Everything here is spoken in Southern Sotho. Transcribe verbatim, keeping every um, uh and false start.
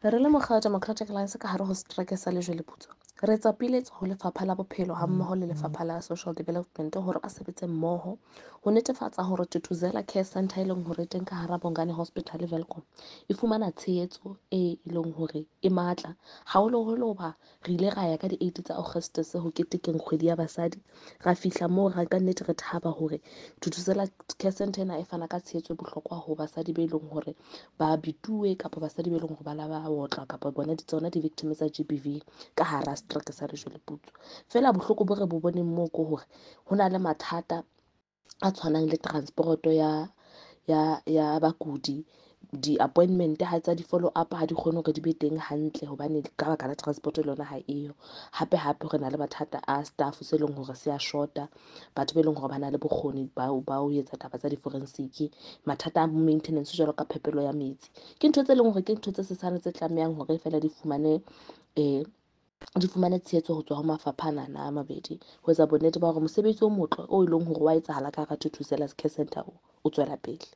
Re le mokga wa Democratic Alliance ka hare ho setereke sa Lejweleputswa, re etsa peeletso ho Lefapha la Bophelo hammoho le Lefapha la Social Development hore ba sebetse mmoho ho netefatsa hore Thuthuzela Care Centre, e leng hore e teng ka hara Bongani Hospital Welkom, e fumana tshehetso e leng hore e matla haholoholo. Hoba re ile ra ya ka di-eight tsa Augustus ho ketekeng kgwedi ya basadi, ra fihla moo ra ka nnete re thaba hore Thuthuzela Care Centre ena e fana ka tshehetso e bohlokwa ho basadi be leng hore ba bituwe, kapa basadi be leng hore ba la ba otlwa, kapa bona tsona di-victim tsa G B V ka hara setereke sa Lejweleputswa. Feela bohloko bo re bo boneng moo ke hore ho na le mathata a tshwanang le transport-o ya ya ya bakudi. Di-appointment ha tsa di-follow up ha di kgone hore di be teng hantle hobane ka baka la transport le yona ha eyo. Hape hape re na le mathata a staff se leng hore se a short-a, batho be leng hore ba na le bokgoni ba ba ho etsa taba tsa di-forensic. Mathata a maintenance jwalo ka phepelo ya metsi, ke ntho tse leng hore ke ntho tse sesane tse tlamehang hore feela di fumane um di fumane tshehetso ho tswa ho mafapha anana a mabedi, ho etsa bonnete ba hore mosebetsi o motle o e leng hore wa etsahala ka hara Thuthuzela Care Centre o, o tswela pele.